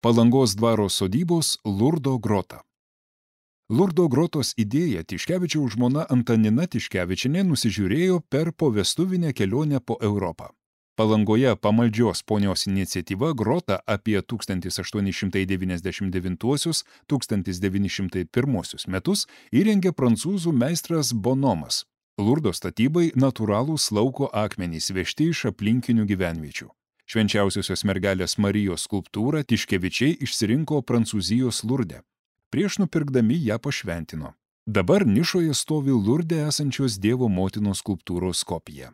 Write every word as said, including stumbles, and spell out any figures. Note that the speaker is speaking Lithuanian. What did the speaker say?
Palangos dvaro sodybos Lurdo grota. Lurdo grotos idėją Tiškevičiaus žmona Antanina Tiškevičienė nusižiūrėjo per povestuvinę kelionę po Europą. Palangoje pamaldžios ponios iniciatyva grotą apie tūkstantis aštuoni šimtai devyniasdešimt devintuosius - tūkstantis devyni šimtai pirmuosius metus įrengė prancūzų meistras Bonomas. Lurdo statybai natūralūs lauko akmenys vežti iš aplinkinių gyvenviečių. Švenčiausiosios mergelės Marijos skulptūrą Tiškevičiai išsirinko Prancūzijos Lurde. Prieš nupirkdami ją pašventino. Dabar nišoje stovi Lurde esančios Dievo motinos skulptūros kopija.